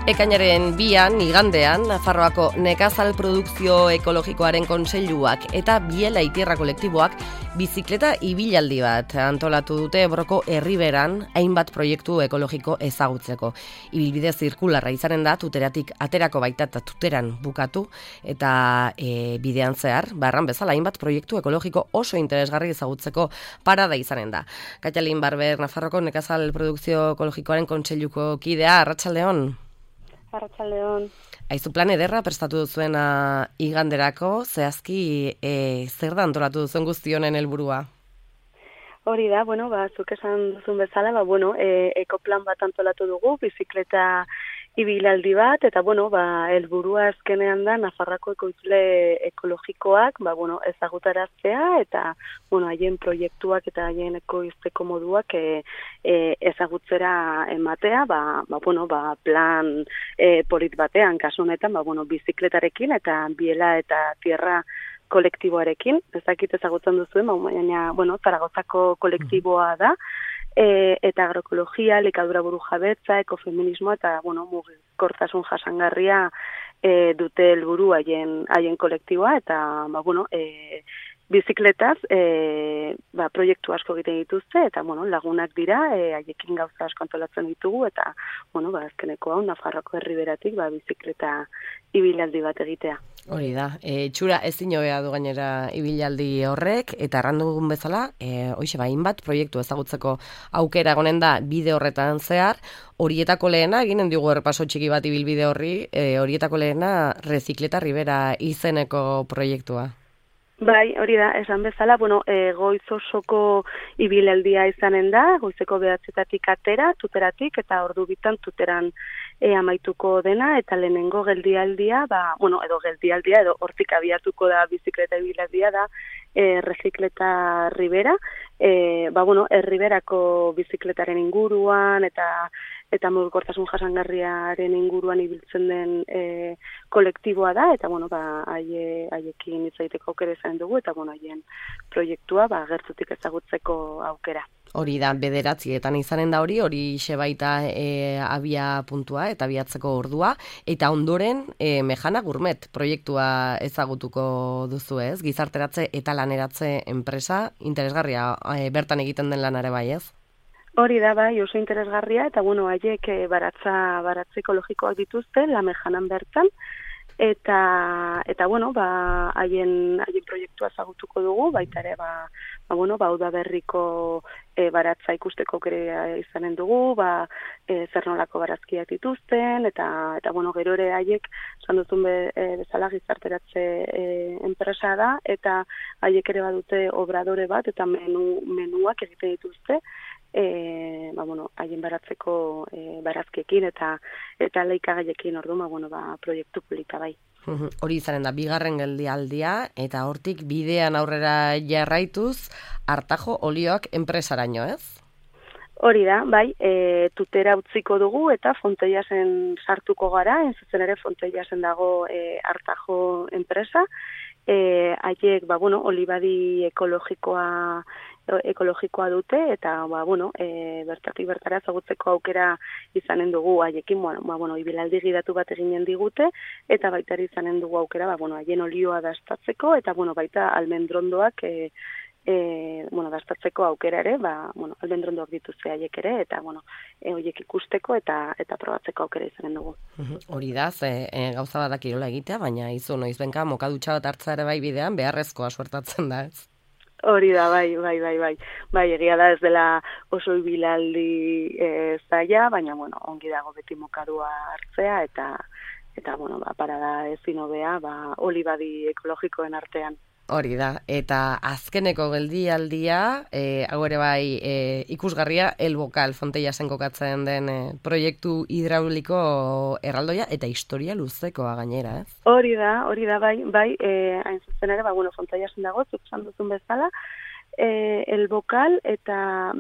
Ekainaren 2an, igandean, Nafarroako Nekazal Produkzio Ekologikoaren Kontseiluak eta Biela Itierra kolektiboak bizikleta ibilaldi bat antolatu dute Ebroko Erriberan hainbat proiektu ekologiko ezagutzeko. Ibilbide zirkularra izanen da, tuteratik aterako baita eta tuteran bukatu, eta bidean zehar, barran bezala hainbat proiektu ekologiko oso interesgarri ezagutzeko parada izanen da. Katalin Barber, Nafarroko Nekazal Produkzio Ekologikoaren Kontseiluko kidea, arratsaldeon. Arratsaldeon. Aizu plan ederra prestatu duzuena iganderako, zehazki zer da antolatu duzuen guzti honen helburua? Hori da, zuk esan duzun bezala, ekoplan bat antolatu dugu, bizikleta ibilaldi bat, eta helburua azkenean da Nafarroako ekoizle ekologikoak, ezagutaraztea eta haien proiektuak eta haien ekoizteko moduak ezagutzera ematea, plan polit batean, kasu honetan, bizikletarekin eta Biela eta Tierra kolektiboarekin, ezakit ezagutzen duzuen, baina, Zaragozako kolektiboa da, eta agroekologia, likadura burujabetza, ekofeminismoa eta, mugikortasun jasangarria dute helburu haien kolektiboa, eta, bizikletaz proiektu asko egiten dituzte, eta, lagunak dira, haiekin gauza asko antolatzen ditugu, eta, azkeneko hau, Nafarroko Erriberatik, bizikleta ibilaldi bat egitea. Hori da, txura ezin hobea du gainera ibilaldi horrek, eta errandugun bezala, hoxe hainbat proiektu ezagutzeko aukera egonen da bide horretan zehar, horietako lehena, eginen digu errepaso txiki bat ibilbide horri, horietako lehena Rezikleta Ribera izeneko proiektua. Bai, hori da, esan bezala, goiz osoko ibilaldia izanen da, goizeko 9:00 atera, tuteratik, eta ordu bitan tuteran amaituko dena, eta lehenengo geldialdia, edo hortik abiatuko da bizikleta ibilaldia da, Rezikleta Ribera, Erriberako bizikletaren inguruan, eta mugikortasun jasangarriaren inguruan ibiltzen den kolektiboa da, eta haiekin hitz egiteko aukera izan dugu, eta haien proiektua gertutik ezagutzeko aukera. Hori da, 9:00 izanen da hori baita abia puntua eta abiatzeko ordua, eta ondoren Mejana Gourmet proiektua ezagutuko duzu ez, gizarteratze eta laneratze enpresa, interesgarria bertan egiten den lanare bai ez? Hori da, bai, oso interesgarria, eta haiek baratze ekologikoak dituzte, La Mejanan bertan, eta haien proiektua ezagutuko dugu, baita ere, Udaberriko baratza ikusteko aukera izanen dugu, zer nolako barazkiak dituzten, eta gero ere haiek, esan duzun bezala gizarteratze enpresa da, eta haiek ere badute obradore bat, eta menuak egiten dituzte, haien baratzeko barazkiekin eta leikagaiekin orduan, proiektu polita bai. Hori izanen da, bigarren geldialdia, eta hortik bidean aurrera jarraituz, Artajo olioak enpresaraino, ez? Hori da, bai, tutera utziko dugu, eta Fonteiasen sartuko gara, zuzen ere Fonteiasen dago Artajo enpresa, haiek, olibadi ekologikoa dute, eta, bertatik bertara ezagutzeko aukera izanen dugu haiekin, ibilaldi gidatu bat eginen digute, eta baita izanen dugu aukera, haien olioa dastatzeko, eta, baita almendrondoak dastatzeko aukera ere, almendrondoak dituzte haiek ere, eta, horiek ikusteko eta probatzeko aukera izanen dugu. Hori da, gauza bat kirola egitea, baina izu noizbenka mokadutxa bat hartza ere bai bidean, beharrezkoa suertatzen da ez? Hori da, bai. Bai, egia da ez dela oso ibilaldi zaila, baina, ongi dago beti mokadua hartzea, eta parada ezin hobea, olibadi ekologikoen artean. Hori da, eta azkeneko geldialdia, hau ere bai ikusgarria, El Bokal Fonteiasen kokatzen den proiektu hidrauliko erraldoia eta historia luzekoa gainera, ez? Hori da, bai, hain zuzen ere, Fonteiasen dago, zuk esan duzun bezala, El Bokal, eta,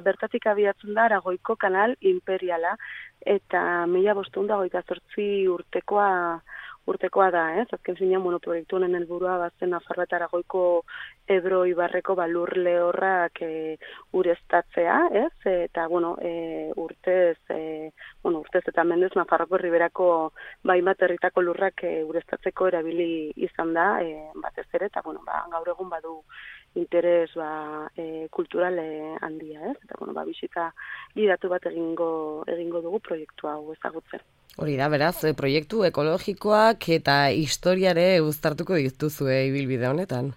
bertatik abiatzen da Aragoiko kanal imperiala, eta 1528 urtekoa urtekoa da, azken finean, proiektu honen helburua bazen Nafarroa eta Aragoiko Ebro ibarreko lur lehorrak ureztatzea, eta urtez eta mendez Nafarroako Riberako hainbat herritako lurrak ureztatzeko erabili izan da, batez ere, eta gaur egun badu interes kultural handia, eta bisita gidatu bat egingo dugu proiektu hau ezagutzen. Hori da, beraz, proiektu ekologikoak eta historiare uztartuko dituzue ibilbide honetan.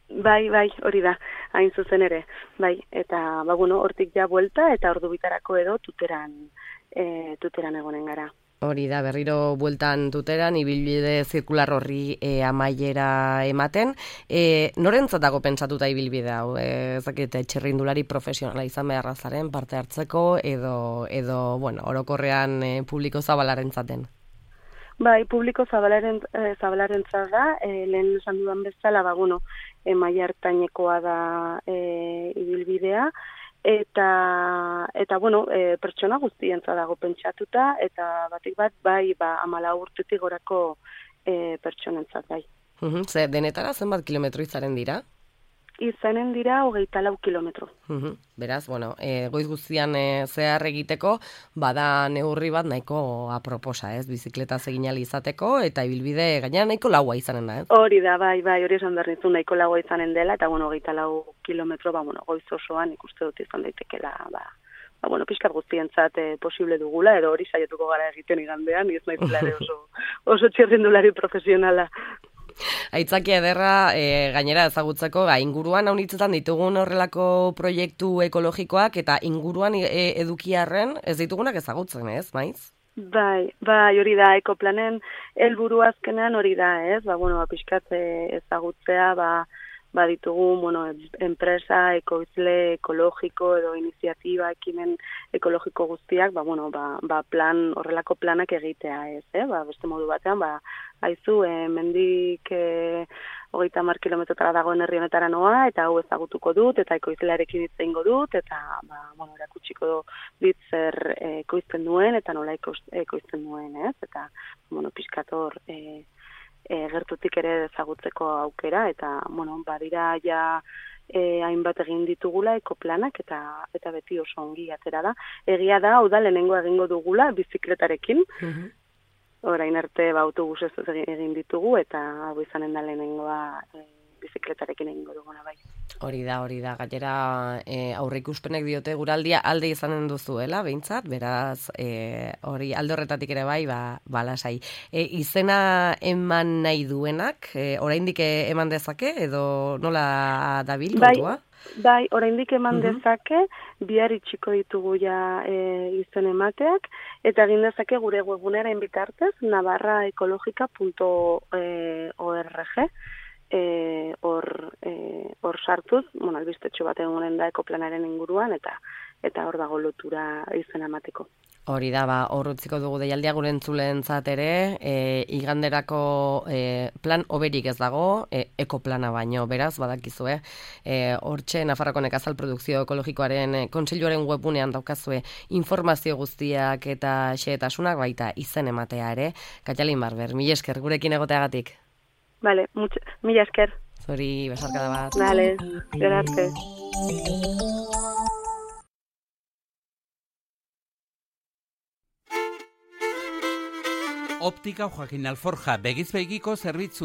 Bai, hori da, hain zuzen ere. Bai, eta hortik ja buelta eta ordu bitarako edo tuteran egonen gara. Hori da, berriro bueltan tuteran, ibilbide zirkular horri amaiera ematen. Norentzatako pentsatuta ibilbide hau? Ezakite, txirrindulari profesionala izan beharra zaren, parte hartzeko, edo orokorrean publiko zabalaren zaten? Bai, publiko zabalaren da, lehen esan dudan bezala, maila hartainekoa da ibilbidea, eta pertsona guztientza dago pentsatuta, eta batik bat, 14 urtetik gorako pertsonentzat bai. Ze, denetara zenbat kilometro izaren dira? Izanen dira 24 kilometro. Beraz, goiz guztian zehar egiteko, bada neurri bat nahiko aproposa, bizikletaz egin ahal izateko, eta ibilbide gainera nahiko laua izanen da, Hori da, bai, hori esan behar nizun nahiko laua izanen dela, eta 24 kilometro, goiz osoan ikuste dut izan daitekela, pixkat guztientzat posible dugula, edo hori saiatuko gara egiten igandean, ez nahi ere oso txirrindulari profesionala. Aitzakia ederra gainera ezagutzeko, inguruan haunitzetan ditugun horrelako proiektu ekologikoak eta inguruan edukiarren ez ditugunak ezagutzen, ez, maiz? Bai, hori da, ekoplanen helburu azkenean hori da, ez? Pixkat ezagutzea, ditugu, enpresa, ekoizle, ekologiko edo iniziatiba, ekimen ekologiko guztiak, horrelako planak egitea, ez, beste modu batean, haizu, mendik 30 kilometrotara dagoen herri honetara noa, eta hau ezagutuko dut, eta ekoizlearekin hitz egingo dut, eta, erakutsiko dit zer ekoizten duen, eta nola ekoizten duen, ez, eta, pixkator, gertutik ere ezagutzeko aukera, eta, badira ja hainbat egin ditugula ekoplanak, eta beti oso ongi atera da. Egia da, hau da, lehenengo egingo dugula, bizikletarekin, orain arte autobusez egin ditugu, eta hau izanen da lehenengoa bizikletarekin egingo duguna bai. Hori da, gainera aurreikuspenek diote guraldia alde izanen duzuela, behintzat, beraz, hori alde horretatik ere bai, lasai. Izena eman nahi duenak, oraindik eman dezake, edo nola dabil kontua? Bai, oraindik eman dezake, bihar itxiko ditugu ja izen emateak, eta egin dezake gure webgunearen bitartez, navarraecologica.org, hor sartuz, albistetxo bat egunen da ekoplanaren inguruan, eta hor dago lotura izen emateko. Hori da, hor utziko dugu deialdia gure entzuleentzat ere, iganderako plan oberik ez dago, ekoplana baino, beraz, badakizue. Hortxe, Nafarroako Nekazal Produkzio Ekologikoaren Kontseiluaren webunean daukazue informazio guztiak eta xehetasunak, baita izen ematea ere. Katalin Barber, mila esker gurekin egoteagatik. Vale, mila esker. Zori, besarkada bat. Dale, gerarte. Optika Joaquin Alforja, begizbegiko zerbitzua.